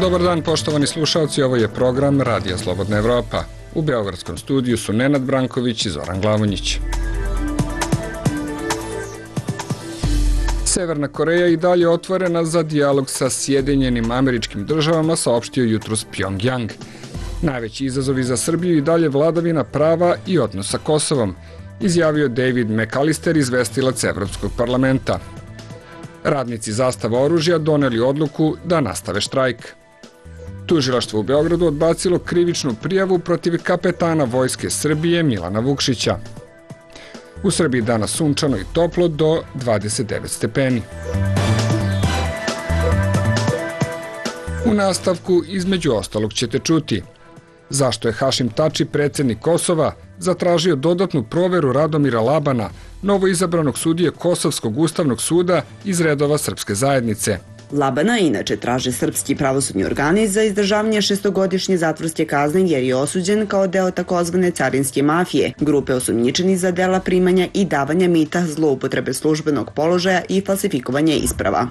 Dobar dan, poštovani slušalci, ovo je program Radija Slobodna Evropa. U beogradskom studiju su Nenad Branković i Zoran Glavonjić. Severna Koreja i dalje otvorena za dijalog sa Sjedinjenim Američkim Državama, saopštio jutros Pjongjang. Najveći izazovi za Srbiju i dalje vladavina prava i odnos sa Kosovom, izjavio David McAllister, izvestilac Evropskog parlamenta. Radnici Zastava oružja doneli odluku da nastave štrajk. Tužilaštvo u Beogradu odbacilo krivičnu prijavu protiv kapetana Vojske Srbije Milana Vukšića. U Srbiji danas sunčano i toplo do 29 stepeni. U nastavku između ostalog ćete čuti zašto je Hašim Tači, predsjednik Kosova, zatražio dodatnu proveru Radomira Labana, novoizabranog sudije Kosovskog ustavnog suda iz redova srpske zajednice. Labana inače traže srpski pravosudni organi za izdržavanje 6-godišnje zatvorske kazne jer je osuđen kao deo takozvane carinske mafije, grupe osumnjičenih za dela primanja i davanja mita, zloupotrebe službenog položaja i falsifikovanje isprava.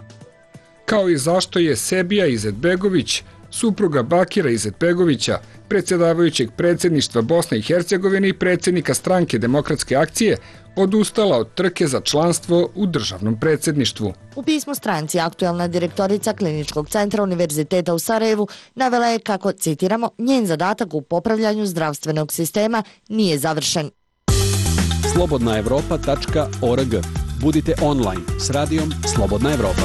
Kao i zašto je Sebija Izetbegović, supruga Bakira Izetbegovića, predsjedavajućeg predsjedništva Bosne i Hercegovine i predsjednika stranke Demokratske akcije, odustala od trke za članstvo u državnom predsjedništvu. U pismu stranci aktuelna direktorica Kliničkog centra Univerziteta u Sarajevu navela je kako, citiramo, njen zadatak u popravljanju zdravstvenog sistema nije završen. slobodnaevropa.org. Budite online s radijom Slobodna Evropa.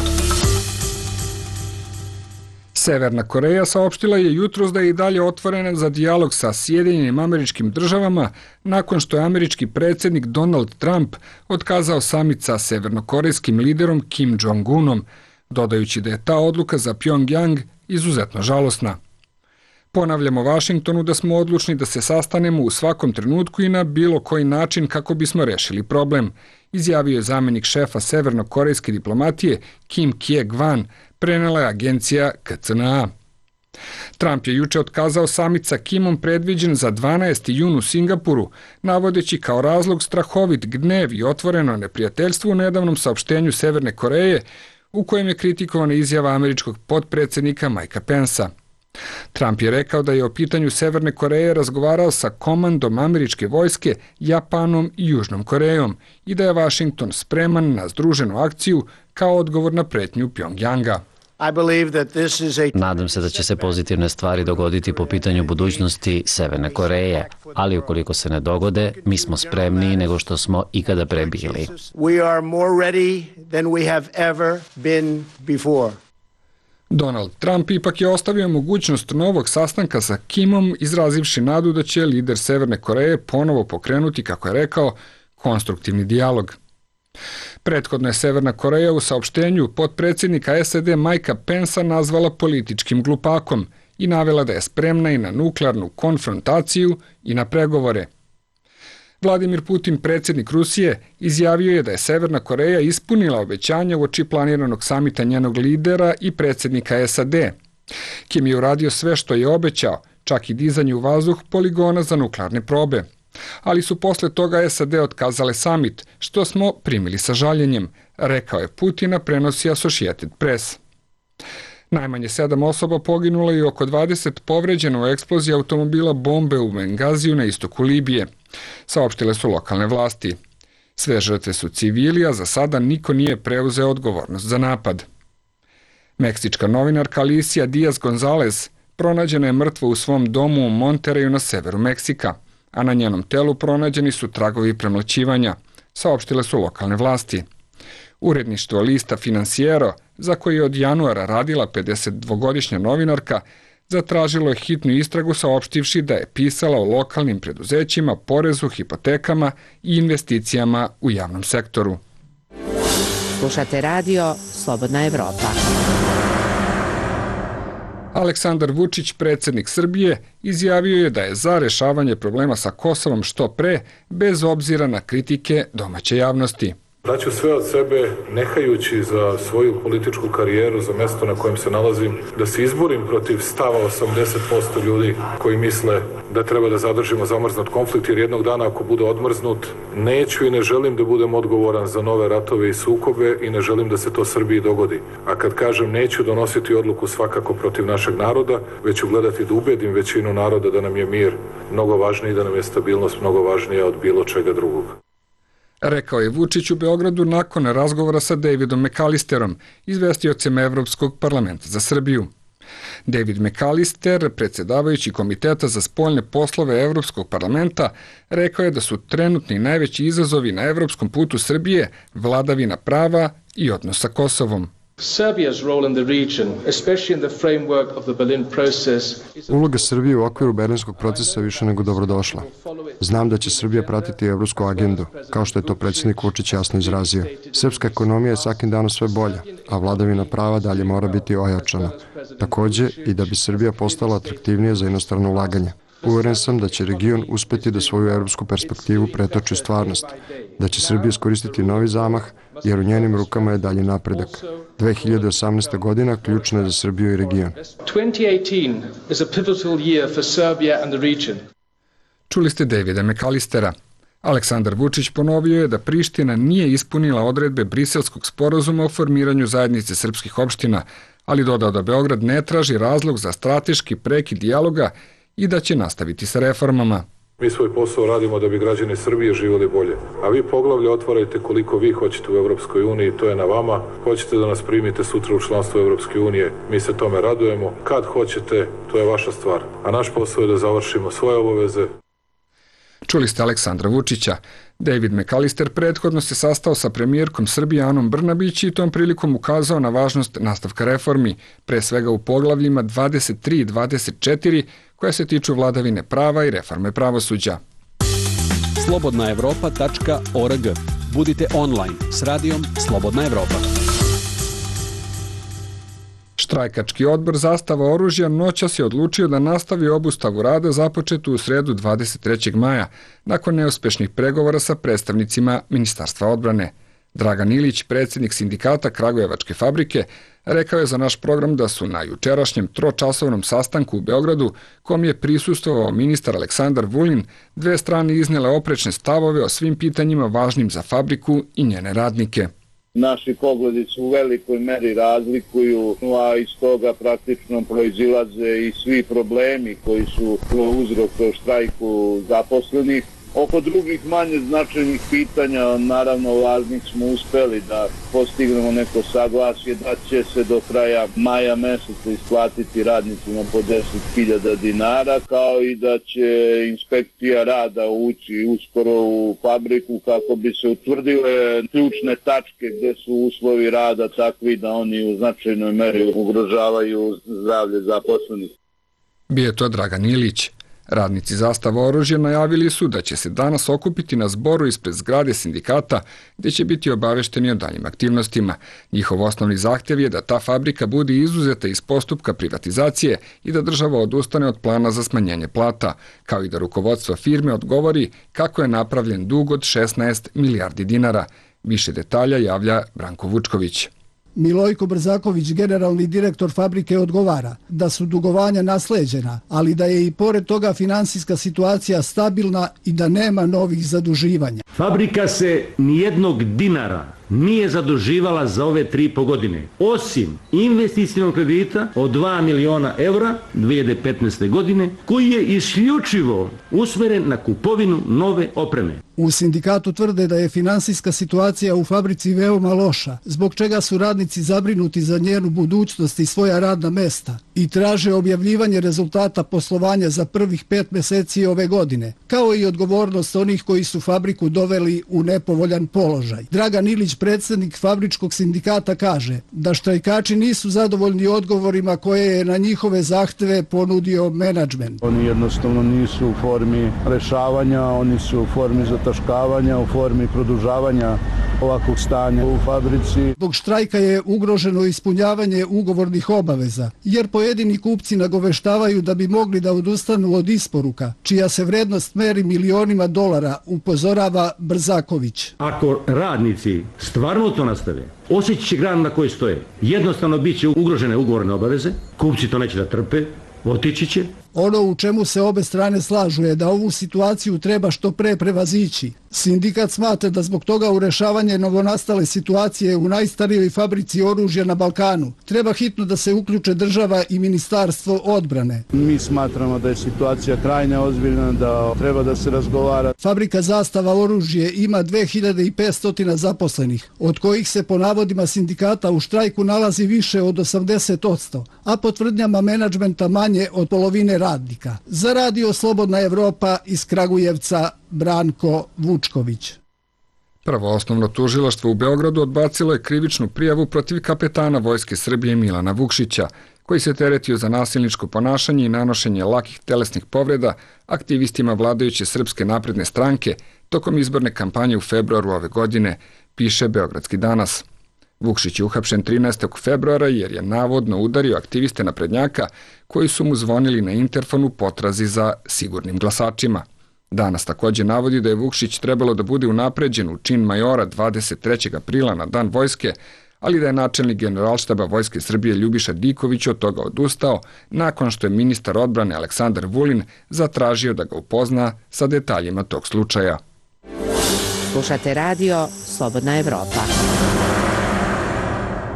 Severna Koreja saopštila je jutros da je i dalje otvorena za dijalog sa Sjedinjenim Američkim Državama nakon što je američki predsjednik Donald Trump otkazao samit sa severnokorejskim liderom Kim Jong-unom, dodajući da je ta odluka za Pjongjang izuzetno žalosna. Ponavljamo Vašingtonu da smo odlučni da se sastanemo u svakom trenutku i na bilo koji način kako bismo rešili problem, izjavio je zamjenik šefa severnokorejske diplomatije Kim Kye-gwan, prenela je agencija KCNA. Trump je juče otkazao samit sa Kimom predviđen za 12. jun u Singapuru, navodeći kao razlog strahovit gnev i otvoreno neprijateljstvo u nedavnom saopštenju Severne Koreje, u kojem je kritikovana izjava američkog potpredsjednika Mikea Pensa. Trump je rekao da je o pitanju Severne Koreje razgovarao sa komandom američke vojske, Japanom i Južnom Korejom i da je Vašington spreman na združenu akciju kao odgovor na pretnju Pjongjanga. Nadam se da će se pozitivne stvari dogoditi po pitanju budućnosti Severne Koreje, ali ukoliko se ne dogode, mi smo spremniji nego što smo ikada pre bili. Donald Trump ipak je ostavio mogućnost novog sastanka sa Kimom, izrazivši nadu da će lider Severne Koreje ponovo pokrenuti, kako je rekao, konstruktivni dijalog. Prethodno je Severna Koreja u saopštenju potpredsjednika SAD Mikea Pensa nazvala političkim glupakom i navela da je spremna i na nuklearnu konfrontaciju i na pregovore. Vladimir Putin, predsjednik Rusije, izjavio je da je Severna Koreja ispunila obećanja uoči planiranog samita njenog lidera i predsjednika SAD. Kim je uradio sve što je obećao, čak i dizanje u vazduh poligona za nuklearne probe. Ali su posle toga SAD otkazale samit, što smo primili sa žaljenjem, rekao je Putina, prenosi Associated Press. Najmanje 7 osoba poginulo i oko 20 povređeno u eksploziji automobila bombe u Bengaziju na istoku Libije, saopštile su lokalne vlasti. Sve žrtve su civili, a za sada niko nije preuzeo odgovornost za napad. Meksička novinarka Alicia Diaz Gonzalez pronađena je mrtva u svom domu u Monterreyu na severu Meksika, a na njenom telu pronađeni su tragovi premlaćivanja, saopštile su lokalne vlasti. Uredništvo lista Financiero, za koji je od januara radila 52-godišnja novinarka, zatražilo je hitnu istragu saopštivši da je pisala o lokalnim preduzećima, porezu, hipotekama i investicijama u javnom sektoru. Slušate radio Slobodna Evropa. Aleksandar Vučić, predsjednik Srbije, izjavio je da je za rešavanje problema sa Kosovom što pre, bez obzira na kritike domaće javnosti. Daću sve od sebe, nehajući za svoju političku karijeru, za mesto na kojem se nalazim, da se izborim protiv stava 80% ljudi koji misle da treba da zadržimo zamrznut konflikt, jer jednog dana ako bude odmrznut, neću i ne želim da budem odgovoran za nove ratove i sukobe i ne želim da se to Srbiji dogodi. A kad kažem neću donositi odluku svakako protiv našeg naroda, već ću gledati da ubedim većinu naroda da nam je mir mnogo važniji, da nam je stabilnost mnogo važnija od bilo čega drugog. Rekao je Vučić u Beogradu nakon razgovora sa Davidom McAllisterom, izvestiocem Evropskog parlamenta za Srbiju. David McAllister, predsjedavajući Komiteta za spoljne poslove Evropskog parlamenta, rekao je da su trenutni najveći izazovi na evropskom putu Srbije vladavina prava i odnos sa Kosovom. Uloga Srbije u okviru Berlinskog procesa je više nego dobrodošla. Znam da će Srbija pratiti evropsku agendu, kao što je to predsjednik Vučić jasno izrazio. Srpska ekonomija je svakim danom sve bolja, a vladavina prava dalje mora biti ojačana. Takođe i da bi Srbija postala atraktivnija za inostrano ulaganje. Uveren sam da će region uspeti da svoju evropsku perspektivu pretoči u stvarnost, da će Srbija iskoristiti novi zamah, jer u njenim rukama je dalji napredak. 2018. godina ključna je za Srbiju i region. Čuli ste Davida McAllistera. Aleksandar Vučić ponovio je da Priština nije ispunila odredbe Briselskog sporazuma o formiranju zajednice srpskih opština, ali dodao da Beograd ne traži razlog za strateški prekid dijaloga i da će nastaviti sa reformama. Mi svoj posao radimo da bi građani Srbije živjeli bolje. A vi poglavlje otvarajte koliko vi hoćete u Evropskoj uniji, to je na vama. Hoćete da nas primite sutra u članstvo Evropske unije, mi se tome radujemo. Kad hoćete, to je vaša stvar. A naš posao je da završimo svoje obaveze. Čuli ste Aleksandra Vučića. David McAllister prethodno se sastao sa premijerkom Srbije Anom Brnabić i tom prilikom ukazao na važnost nastavka reformi, pre svega u poglavljima 23 i 24, koja se tiču vladavine prava i reforme pravosuđa. slobodnaevropa.org. Budite online s radijom Slobodna Evropa. Štrajkački odbor Zastava oružja noćas je odlučio da nastavi obustavu rada započetu u sredu 23. maja, nakon neuspešnih pregovora sa predstavnicima Ministarstva odbrane. Dragan Ilić, predsjednik sindikata Kragujevačke fabrike, rekao je za naš program da su na jučerašnjem tročasovnom sastanku u Beogradu, kom je prisustvovao ministar Aleksandar Vulin, dve strane iznele oprečne stavove o svim pitanjima važnim za fabriku i njene radnike. Naši pogledi su u velikoj meri razlikuju, a iz toga praktično proizilaze i svi problemi koji su uzrok štrajku zaposlenih. Oko drugih manje značajnih pitanja, naravno važnih, smo uspeli da postignemo neko saglasje da će se do kraja maja meseca isplatiti radnicima po 10.000 dinara, kao i da će inspekcija rada ući uskoro u fabriku kako bi se utvrdile ključne tačke gde su uslovi rada takvi da oni u značajnoj meri ugrožavaju zdravlje zaposlenih. Bio je to Dragan Ilić. Radnici Zastava oružja najavili su da će se danas okupiti na zboru ispred zgrade sindikata gdje će biti obavešteni o daljim aktivnostima. Njihov osnovni zahtjev je da ta fabrika bude izuzeta iz postupka privatizacije i da država odustane od plana za smanjenje plata, kao i da rukovodstvo firme odgovori kako je napravljen dug od 16 milijardi dinara. Više detalja javlja Branko Vučković. Milojko Brzaković, generalni direktor fabrike, odgovara da su dugovanja nasleđena, ali da je i pored toga finansijska situacija stabilna i da nema novih zaduživanja. Fabrika se nijednog dinara nije zaduživala za ove 3,5 godine, osim investicijnog kredita od 2 miliona evra 2015. godine, koji je isključivo usmeren na kupovinu nove opreme. U sindikatu tvrde da je finansijska situacija u fabrici veoma loša, zbog čega su radnici zabrinuti za njenu budućnost i svoja radna mesta i traže objavljivanje rezultata poslovanja za prvih 5 meseci ove godine, kao i odgovornost onih koji su fabriku doveli u nepovoljan položaj. Dragan Ilić, predsjednik fabričkog sindikata, kaže da štrajkači nisu zadovoljni odgovorima koje je na njihove zahteve ponudio menadžment. Oni jednostavno nisu u formi rešavanja, oni su u formi zataškavanja, u formi produžavanja ovakvog stanja u fabrici. Zbog štrajka je ugroženo ispunjavanje ugovornih obaveza, jer pojedini kupci nagoveštavaju da bi mogli da odustanu od isporuka, čija se vrednost meri milionima dolara, upozorava Brzaković. Ako radnici stvarno to nastave, osjećat će granu na kojoj stoje. Jednostavno bit će ugrožene ugovorne obaveze, kupci to neće da trpe, otići će. Ono u čemu se obe strane slažu je da ovu situaciju treba što pre prevazići. Sindikat smatra da zbog toga u rešavanje novonastale situacije u najstarijoj fabrici oružja na Balkanu treba hitno da se uključe država i Ministarstvo odbrane. Mi smatramo da je situacija krajne ozbiljna, da treba da se razgovara. Fabrika Zastava oružje ima 2500 zaposlenih, od kojih se po navodima sindikata u štrajku nalazi više od 80%, a po tvrdnjama menadžmenta manje od polovine radnika. Za Radio Slobodna Evropa iz Kragujevca, Branko Vučković. Prvo osnovno tužilaštvo u Beogradu odbacilo je krivičnu prijavu protiv kapetana Vojske Srbije Milana Vukšića, koji se teretio za nasilničko ponašanje i nanošenje lakih telesnih povreda aktivistima vladajuće Srpske napredne stranke tokom izborne kampanje u februaru ove godine, piše Beogradski danas. Vukšić je uhapšen 13. februara jer je navodno udario aktiviste naprednjaka koji su mu zvonili na interfon u potrazi za sigurnim glasačima. Danas takođe navodi da je Vukšić trebalo da bude unapređen u čin majora 23. aprila na Dan vojske, ali da je načelnik Generalštaba Vojske Srbije Ljubiša Diković od toga odustao nakon što je ministar odbrane Aleksandar Vulin zatražio da ga upozna sa detaljima tog slučaja. Slušate radio Slobodna Evropa.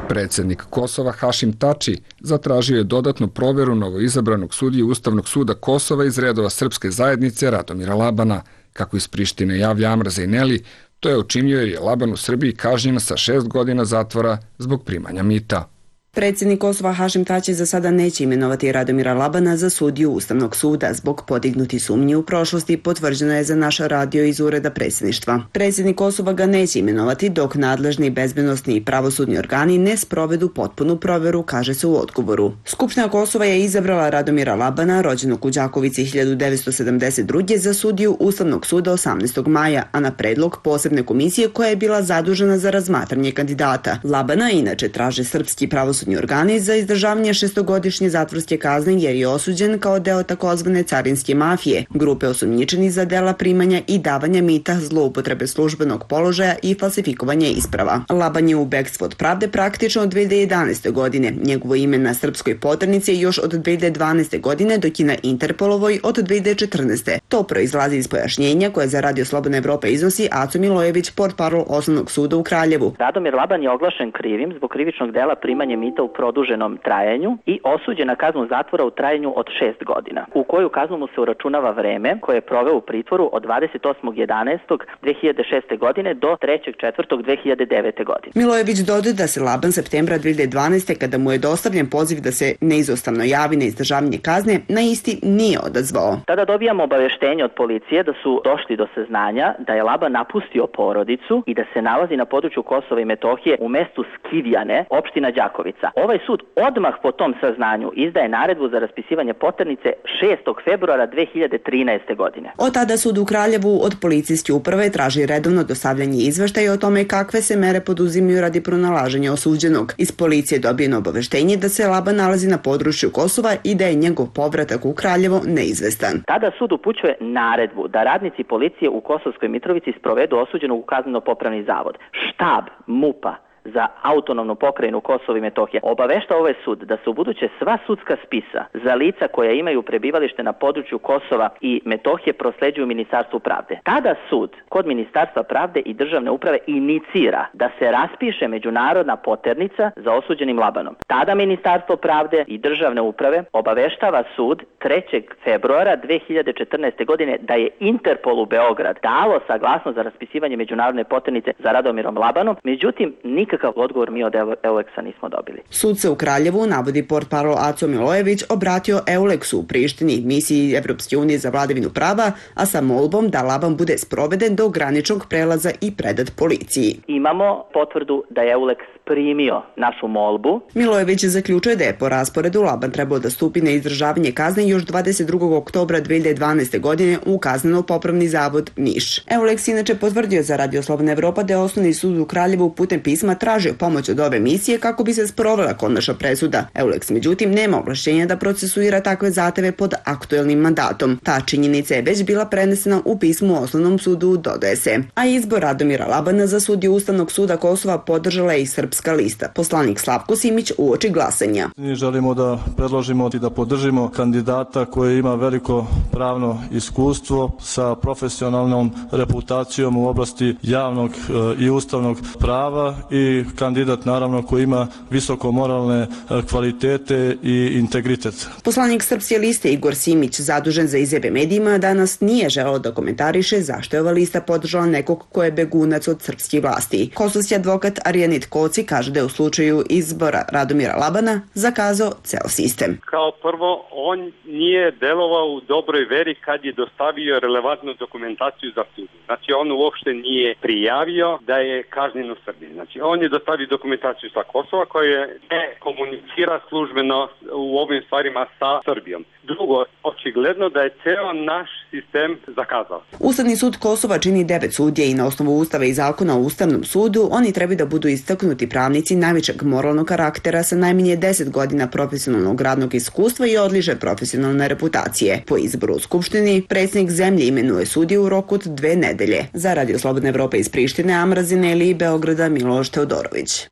Predsjednik Kosova Hašim Tači zatražio je dodatnu proveru novoizabranog sudije Ustavnog suda Kosova iz redova srpske zajednice Radomira Labana. Kako iz Prištine javlja Amra Zejneli, to je učinio jer je Laban u Srbiji kažnjen sa 6 godina zatvora zbog primanja mita. Predsjednik Kosova Hašim Tači za sada neće imenovati Radomira Labana za sudiju Ustavnog suda. Zbog podignuti sumnji u prošlosti potvrđeno je za naš radio iz ureda predsjedništva. Predsjednik Kosova ga neće imenovati dok nadležni bezbednosni i pravosudni organi ne sprovedu potpunu proveru, kaže se u odgovoru. Skupština Kosova je izabrala Radomira Labana, rođenog u Đakovici 1972. za sudiju Ustavnog suda 18. maja, a na predlog posebne komisije koja je bila zadužena za razmatranje kandidata. Labana inače traže srpski pravosudni organi za izdržavanje 6-godišnje zatvorske kazne jer je osuđen kao deo takozvane carinske mafije, grupe osumnjičenih za dela primanja i davanja mita, zloupotrebe službenog položaja i falsifikovanje isprava. Laban je u bekstvu od pravde praktično od 2011. godine. Njegovo ime na srpskoj poternici je još od 2012. godine, dok je na Interpolovoj od 2014. To proizlazi iz pojašnjenja koje za Radio Slobodna Evropa iznosi Aco Milojević, portparol Osnovnog suda u Kraljevu. Radomir Laban je oglašen krivim zbog krivičnog dela primanje mita u produženom trajanju i osuđen na kaznu zatvora u trajanju od 6 godina, u koju kaznu mu se uračunava vreme koje je proveo u pritvoru od 28.11.2006. godine do 3.4.2009. godine. Milojević dodaje da se Laban septembra 2012. kada mu je dostavljen poziv da se neizostavno javi na izdržavanje kazne, na isti nije odazvao. Tada dobijamo obaveštenje od policije da su došli do saznanja da je Laban napustio porodicu i da se nalazi na području Kosova i Metohije u mestu Skivjane, opština Đakovica. Ovaj sud odmah po tom saznanju izdaje naredbu za raspisivanje poternice 6. februara 2013. godine. Od tada sud u Kraljevu od policijske uprave traži redovno dostavljanje izveštaja o tome kakve se mere poduzimaju radi pronalaženja osuđenog. Iz policije dobijeno obaveštenje da se Laban nalazi na području Kosova i da je njegov povratak u Kraljevo neizvestan. Tada sud upućuje naredbu da radnici policije u Kosovskoj Mitrovici sprovedu osuđenog u kazneno-popravni zavod. Štab MUP-a za autonomnu pokrajinu Kosovo i Metohije obavešta ovaj sud da se ubuduće sva sudska spisa za lica koja imaju prebivalište na području Kosova i Metohije prosleđuju Ministarstvu pravde. Tada sud kod Ministarstva pravde i državne uprave inicira da se raspiše međunarodna poternica za osuđenim Labanom. Tada Ministarstvo pravde i državne uprave obaveštava sud 3. februara 2014. godine da je Interpol u Beograd dalo saglasnost za raspisivanje međunarodne poternice za Radomirom Labanom, međutim nikakav odgovor mi od Euleksa nismo dobili. Sud se u Kraljevu, navodi portparol Aco Milojević, obratio Euleksu u Prištini, misiji Evropske unije za vladavinu prava, a sa molbom da Laban bude sproveden do graničnog prelaza i predat policiji. Imamo potvrdu da je Euleks primio našu molbu. Milojević zaključuje da je po rasporedu Laban trebao da stupi na izdržavanje kazne još 22. oktobra 2012. godine u Kazneno-popravni zavod Niš. Euleks inače potvrdio za Radio Slobodna Evropa da je Osnovni sud u Kraljevu putem pisma tražio pomoć od ove misije kako bi se sprovela konačna presuda. Euleks međutim nema ovlašćenja da procesuira takve zahteve pod aktuelnim mandatom. Ta činjenica je već bila prenesena u pismu Osnovnom sudu, dodaje se. A izbor Radomira Labana za sudiju Ustavnog suda Kosova podržala je i Srpska lista. Poslanik Slavko Simić uoči glasanja. Mi želimo da predložimo i da podržimo kandidata koji ima veliko pravno iskustvo sa profesionalnom reputacijom u oblasti javnog i ustavnog prava i kandidat naravno koji ima visoko moralne kvalitete i integritet. Poslanik Srpske liste Igor Simić, zadužen za izjave medijima, danas nije želeo da komentariše zašto je ova lista podržala nekog ko je begunac od srpskih vlasti. Kosovski advokat Arjanit Koci kaže da je u slučaju izbora Radomira Labana zakazao ceo sistem. Kao prvo, on nije delovao u dobroj veri kad je dostavio relevantnu dokumentaciju za sud. Znači, on uopšte nije prijavio da je kažnjen u Srbiji. Znači, on je dostavio dokumentaciju sa Kosova koja ne komunicira službeno u ovim stvarima sa Srbijom. Drugo, očigledno da je ceo naš sistem zakazao. Ustavni sud Kosova čini 9 sudija i na osnovu Ustava i zakona o Ustavnom sudu oni trebaju da budu istaknuti pravnici najvećeg moralnog karaktera sa najmanje 10 godina profesionalnog radnog iskustva i odlične profesionalne reputacije. Po izboru u Skupštini, predsjednik zemlje imenuje sudiju u roku od 2 nedelje. Za Radio Slobodna Evropa iz Prištine, Amrazine ili Beograda, Miloš Teodorović.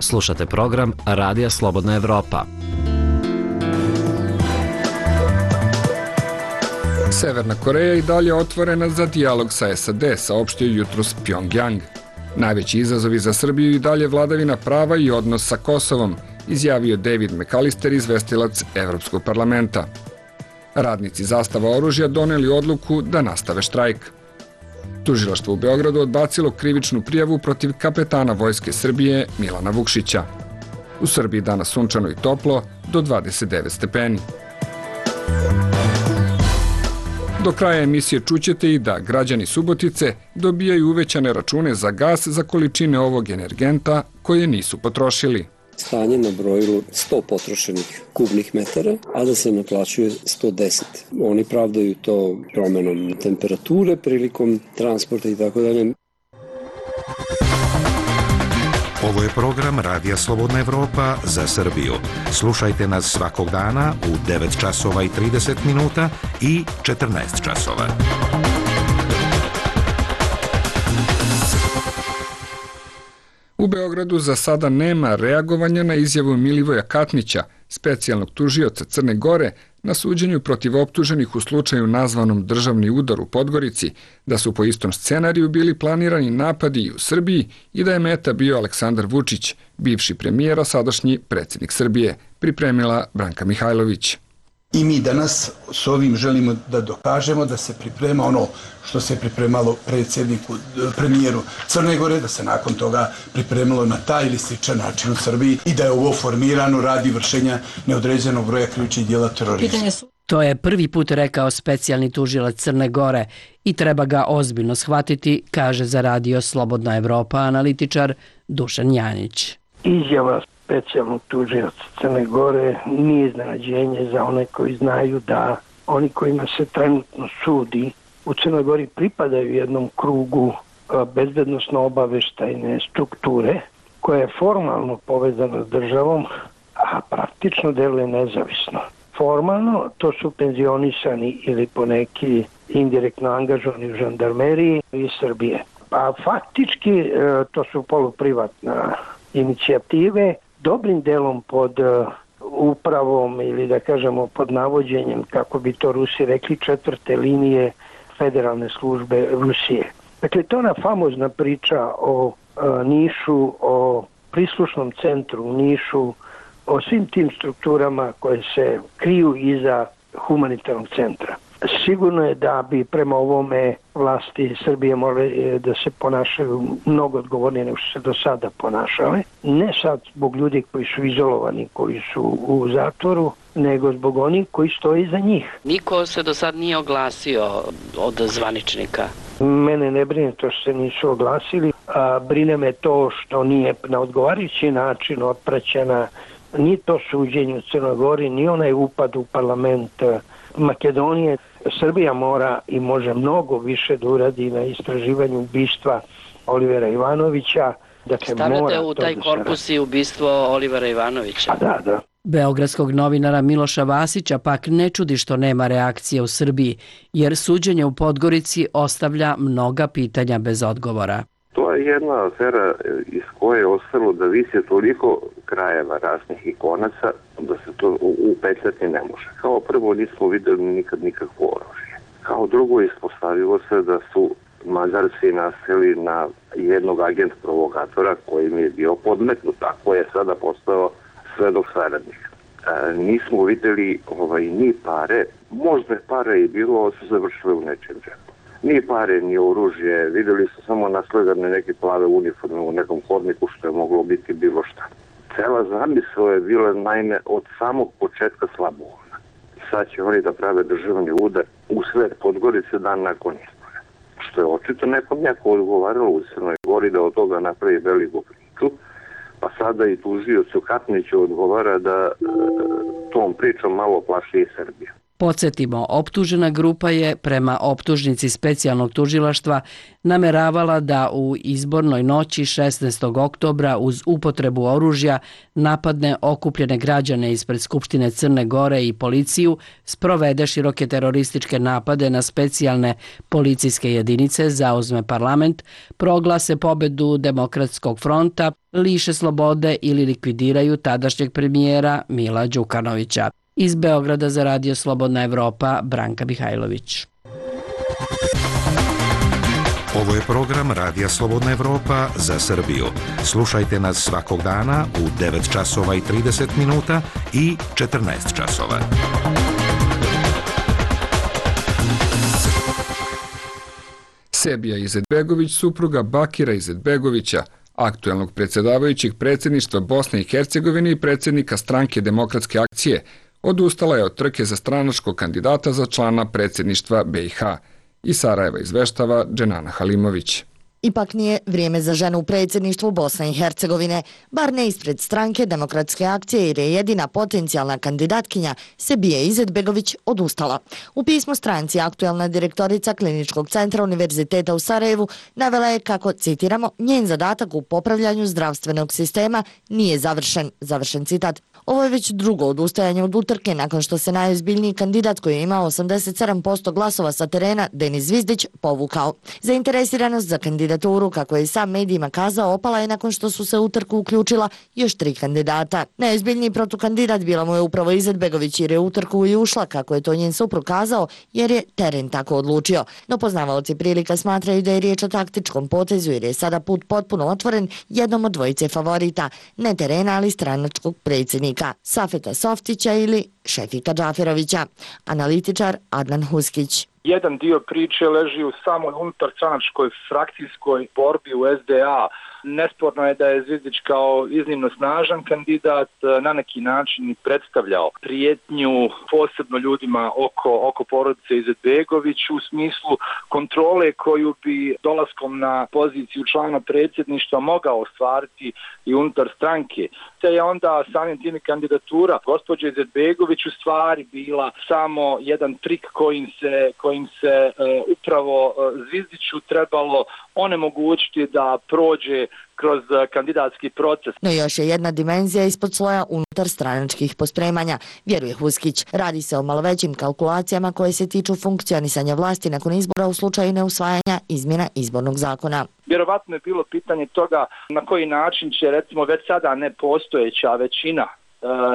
Slušate program Radija Slobodna Evropa. Severna Koreja i dalje otvorena za dijalog sa SAD, saopštio jutros Pjongjang. Najveći izazovi za Srbiju i dalje vladavina prava i odnos sa Kosovom, izjavio David McAllister, izvestilac Evropskog parlamenta. Radnici Zastava oružja doneli odluku da nastave štrajk. Tužilaštvo u Beogradu odbacilo krivičnu prijavu protiv kapetana Vojske Srbije Milana Vukšića. U Srbiji danas sunčano i toplo, do 29 stepeni. Do kraja emisije čućete i da građani Subotice dobijaju uvećane račune za gas za količine ovog energenta koje nisu potrošili. Stanje na brojilu 100 potrošenih kubnih metara, a da se naplaćuje 110. Oni pravdaju to promenom temperature prilikom transporta i tako dalje. Ovo je program Radija Slobodna Evropa za Srbiju. Slušajte nas svakog dana u 9 časova i 30 minuta i 14 časova. U Beogradu za sada nema reagovanja na izjavu Milivoja Katnića, specijalnog tužioca Crne Gore, na suđenju protiv optuženih u slučaju nazvanom državni udar u Podgorici, da su po istom scenariju bili planirani napadi i u Srbiji i da je meta bio Aleksandar Vučić, bivši premijer, a sadašnji predsjednik Srbije, pripremila Branka Mihajlović. I mi danas s ovim želimo da dokažemo da se priprema ono što se pripremalo premijeru Crne Gore, da se nakon toga pripremilo na taj ili sličan način u Srbiji i da je ovo formirano radi vršenja neodređenog broja krivičnih djela terorizma. To je prvi put rekao specijalni tužilac Crne Gore i treba ga ozbiljno shvatiti, kaže za Radio Slobodna Evropa analitičar Dušan Janić. Izjava specijalnog tužioca Crne Gore nije iznenađenje za one koji znaju da oni kojima se trenutno sudi u Crnoj Gori pripadaju jednom krugu bezbednosno-obaveštajne strukture koja je formalno povezana s državom, a praktično deluje nezavisno. Formalno to su penzionisani ili poneki indirektno angažovani u žandarmeriji iz Srbije. A faktički to su poluprivatna inicijative, dobrim delom pod upravom ili da kažemo pod navođenjem, kako bi to Rusi rekli, 4. linije federalne službe Rusije. Dakle, to je ona famozna priča o Nišu, o prislušnom centru u Nišu, o svim tim strukturama koje se kriju iza humanitarnog centra. Sigurno je da bi prema ovome vlasti Srbije morali da se ponašaju mnogo odgovornije nego što se do sada ponašale. Ne sad zbog ljudi koji su izolovani, koji su u zatvoru, nego zbog onih koji stoji iza njih. Niko se do sad nije oglasio od zvaničnika? Mene ne brine to što se nisu oglasili. Brine me to što nije na odgovarajući način otpraćena ni to suđenje u Crnoj Gori, ni onaj upad u parlament Makedonije. Srbija mora i može mnogo više da uradi na istraživanju ubistva Olivera Ivanovića. Dakle, stavljate u taj korpus i ubistvo Olivera Ivanovića? Da. Beogradskog novinara Miloša Vasića pak ne čudi što nema reakcije u Srbiji, jer suđenje u Podgorici ostavlja mnoga pitanja bez odgovora. To je jedna afera iz koje je ostalo da visi toliko krajeva raznih i konaca da se to upetljati ne može. Kao prvo nismo videli nikad nikakvo oružje. Kao drugo ispostavilo se da su Mađarci naseli na jednog agent provokatora koji mi je bio podmetnut, a koji je sada postao svedok saradnik. Nismo videli ni pare, možda je pare i bilo, su završile u nečem džepu. Ni pare, ni oružje, videli su samo nasledane neke plave uniforme u nekom hodniku što je moglo biti bilo šta. Cela zamisao je bila naime od samog početka slabovoljna. Sad će oni da prave državni udar u sred Podgorice dan nakon izbora. Što je očito nekom odgovaralo u Crnoj Gori da od toga napravi veliku priču, pa sada i tužiocu Katniću odgovara da tom pričom malo plaši i Srbija. Podsjetimo, optužena grupa je prema optužnici specijalnog tužilaštva nameravala da u izbornoj noći 16. oktobra uz upotrebu oružja napadne okupljene građane ispred Skupštine Crne Gore i policiju, sprovede široke terorističke napade na specijalne policijske jedinice, zauzme parlament, proglase pobedu Demokratskog fronta, liše slobode ili likvidiraju tadašnjeg premijera Mila Đukanovića. Iz Beograda za Radio Slobodna Evropa, Branka Mihajlović. Ovo je program Radija Slobodna Evropa za Srbiju. Slušajte nas svakog dana u 9 časova i 30 minuta i 14 časova. Sebija Izetbegović, supruga Bakira Izetbegovića, aktuelnog predsjedavajućeg predsjedništva Bosne i Hercegovine i predsjednika stranke Demokratske akcije, odustala je od trke za stranačkog kandidata za člana predsjedništva BiH. Iz Sarajeva izveštava Dženana Halimović. Ipak nije vrijeme za ženu u predsjedništvu Bosne i Hercegovine, bar ne ispred stranke Demokratske akcije jer je jedina potencijalna kandidatkinja Sebija Izetbegović odustala. U pismu stranci aktuelna direktorica Kliničkog centra Univerziteta u Sarajevu navela je kako, citiramo, njen zadatak u popravljanju zdravstvenog sistema nije završen citat. Ovo je već drugo odustajanje od utrke nakon što se najozbiljniji kandidat koji je imao 87% glasova sa terena, Denis Zvizdić, povukao. Zainteresiranost za kandidaturu, kako je i sam medijima kazao, opala je nakon što su se u trku uključila još 3 kandidata. Najozbiljniji protukandidat bila mu je upravo Izetbegović jer je u trku i ušla, kako je to njen suprug kazao, jer je teren tako odlučio. No poznavaoci prilika smatraju da je riječ o taktičkom potezu jer je sada put potpuno otvoren jednom od dvojice favorita, ne terena ali stranačkog predsjednika Safeta Softića ili Šefika Džaferovića. Analitičar Adnan Huskić. Jedan dio priče leži u samoj unutarstranačkoj frakcijskoj borbi u SDA. Nesporno je da je Zvizdić kao iznimno snažan kandidat na neki način predstavljao prijetnju posebno ljudima oko porodice Izetbegović u smislu kontrole koju bi dolaskom na poziciju člana predsjedništva mogao ostvariti i unutar stranke. Te je onda samim tim kandidatura gospođe Izetbegović u stvari bila samo jedan trik kojim se upravo Zvizdiću trebalo onemogućiti da prođe kroz kandidatski proces. No još je jedna dimenzija ispod sloja unutar stranačkih pospremanja, vjeruje Huskić. Radi se o malo većim kalkulacijama koje se tiču funkcionisanja vlasti nakon izbora u slučaju neusvajanja izmjena izbornog zakona. Vjerovatno je bilo pitanje toga na koji način će recimo već sada nepostojeća većina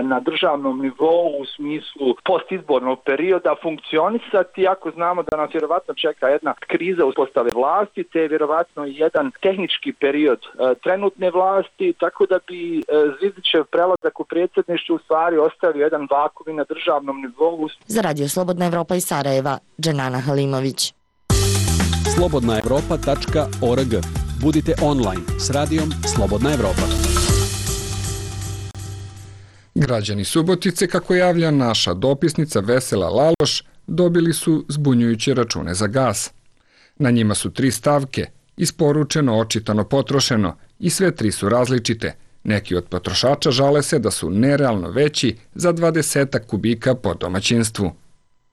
na državnom nivou u smislu postizbornog perioda funkcionisati, ako znamo da nas vjerovatno čeka jedna kriza uspostave vlasti, te vjerovatno i jedan tehnički period trenutne vlasti, tako da bi Zvizdićev prelazak u predsjedništvu u stvari ostavio jedan vakuum na državnom nivou. Za Radio Slobodna Evropa iz Sarajeva, Dženana Halimović. slobodnaevropa.org. Budite online s radijom Slobodna Evropa. Građani Subotice, kako javlja naša dopisnica Vesela Laloš, dobili su zbunjujuće račune za gas. Na njima su 3 stavke: isporučeno, očitano, potrošeno i sve tri su različite. Neki od potrošača žale se da su nerealno veći za 20 kubika po domaćinstvu.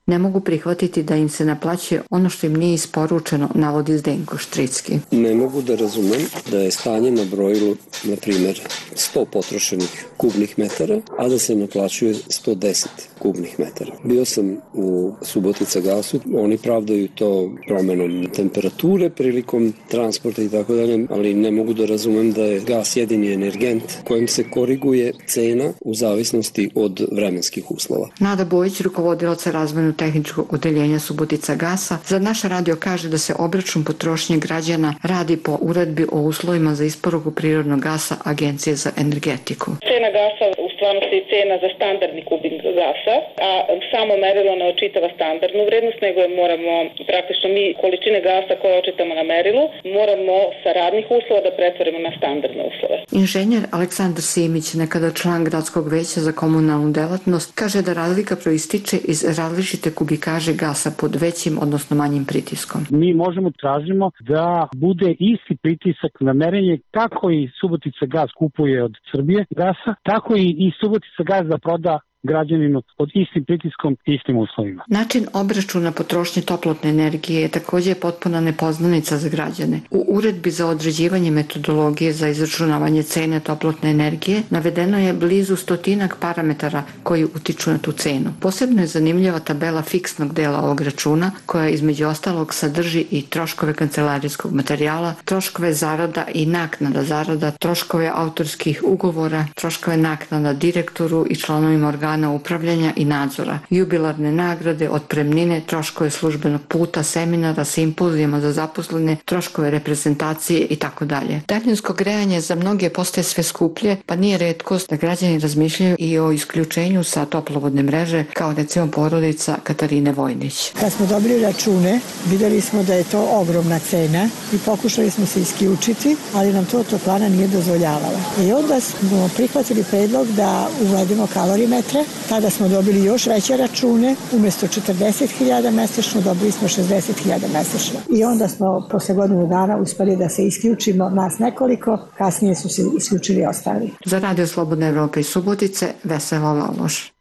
Ne mogu prihvatiti da im se naplaćuje ono što im nije isporučeno, navodi Zdenko Štricki. Ne mogu da razumem da je stanje na brojilu, na primjer, 100 potrošenih kubnih metara, a da se naplaćuje 110 kubnih metara. Bio sam u Subotica gasu, oni pravdaju to promenom temperature prilikom transporta i tako dalje, ali ne mogu da razumem da je gas jedini energent kojim se koriguje cena u zavisnosti od vremenskih uslova. Nada Bojić, rukovodilac razvojno tehničkog odeljenja Subotica gasa, za naš radio kaže da se obračun potrošnje građana radi po uredbi o uslovima za isporuku prirodnog gasa Agencije za energetiku. Cena gasa u stvarnosti je cena za standardni kubik gasa, a samo merilo ne očitava standardnu vrednost, nego moramo praktično mi količine gasa koje očitamo na merilu moramo sa radnih uslova da pretvorimo na standardne uslove. Inženjer Aleksandar Simić, nekada član gradskog veća za komunalnu delatnost, kaže da razlika proističe iz različite kubikaže gasa pod većim, odnosno manjim pritiskom. Mi možemo tražimo da bude isti pritisak na merenje kako i Subotica gas kupuje od Srbije gasa, tako i Subotica gas da proda građaninu pod istim pritiskom i istim uslovima. Način obračuna potrošnje toplotne energije je također potpuna nepoznanica za građane. U uredbi za određivanje metodologije za izračunavanje cene toplotne energije navedeno je blizu 100 parametara koji utiču na tu cenu. Posebno je zanimljiva tabela fiksnog dela ovog računa koja između ostalog sadrži i troškove kancelarijskog materijala, troškove zarada i naknada zarada, troškove autorskih ugovora, troškove naknada direktoru i članovima organa upravljanja i nadzora, jubilarne nagrade, otpremnine, troškove službenog puta, seminara, simpozijama za zaposlene, troškove reprezentacije i tako dalje. Daljinsko grejanje za mnoge postaje sve skuplje, pa nije retkost da građani razmišljaju i o isključenju sa toplovodne mreže, kao recimo porodica Katarine Vojnić. Kad smo dobili račune, videli smo da je to ogromna cena i pokušali smo se isključiti, ali nam to toplana nije dozvoljavala. I onda smo prihvatili predlog da uvedemo kalorimetre. Tada smo dobili još veće račune, umjesto 40.000 mesečno dobili smo 60.000 mesečno. I onda smo posle godinu dana uspeli da se isključimo, nas nekoliko, kasnije su se isključili ostali. Za Radio Slobodna Evropa iz Subotice, Vesela Laloš.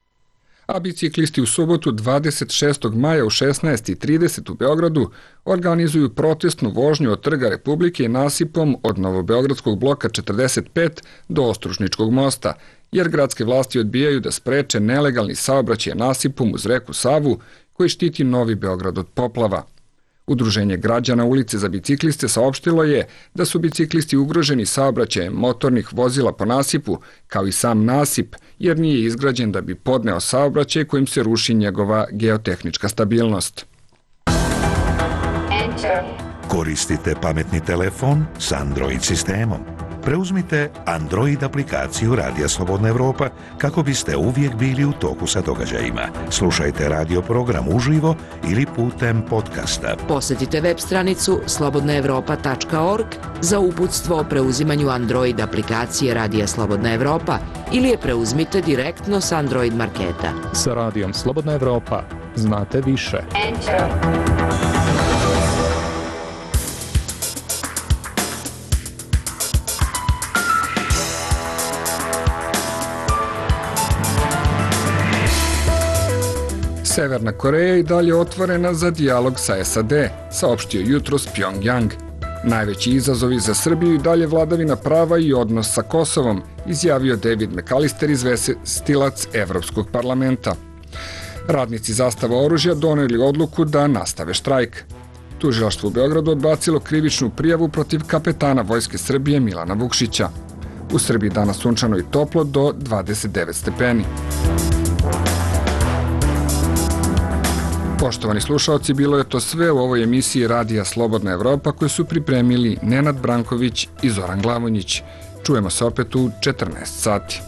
A biciklisti u subotu 26. maja u 16:30 u Beogradu organizuju protestnu vožnju od Trga Republike nasipom od Novobeogradskog bloka 45 do Ostružničkog mosta, jer gradske vlasti odbijaju da spreče nelegalni saobraćaj nasipom uz reku Savu koji štiti Novi Beograd od poplava. Udruženje građana ulice za bicikliste saopštilo je da su biciklisti ugroženi saobraćajem motornih vozila po nasipu, kao i sam nasip, jer nije izgrađen da bi podneo saobraćaj kojim se ruši njegova geotehnička stabilnost. Koristite pametni telefon s Android sistemom. Preuzmite Android aplikaciju Radija Slobodna Evropa kako biste uvijek bili u toku sa događajima. Slušajte radio program uživo ili putem podcasta. Posjetite web stranicu slobodnaevropa.org za uputstvo o preuzimanju Android aplikacije Radija Slobodna Evropa ili je preuzmite direktno s Android marketa. Sa Radijom Slobodna Evropa znate više. Severna Koreja i dalje otvorena za dijalog sa SAD, saopštio jutros Pyongyang. Najveći izazovi za Srbiju i dalje vladavina prava i odnos sa Kosovom, izjavio David McAllister, izvestilac Evropskog parlamenta. Radnici Zastava oružja doneli odluku da nastave štrajk. Tužilaštvo u Beogradu odbacilo krivičnu prijavu protiv kapetana Vojske Srbije Milana Vukšića. U Srbiji danas sunčano i toplo do 29 stepeni. Poštovani slušaoci, bilo je to sve u ovoj emisiji Radija Slobodna Evropa koju su pripremili Nenad Branković i Zoran Glavonjić. Čujemo se opet u 14 sati.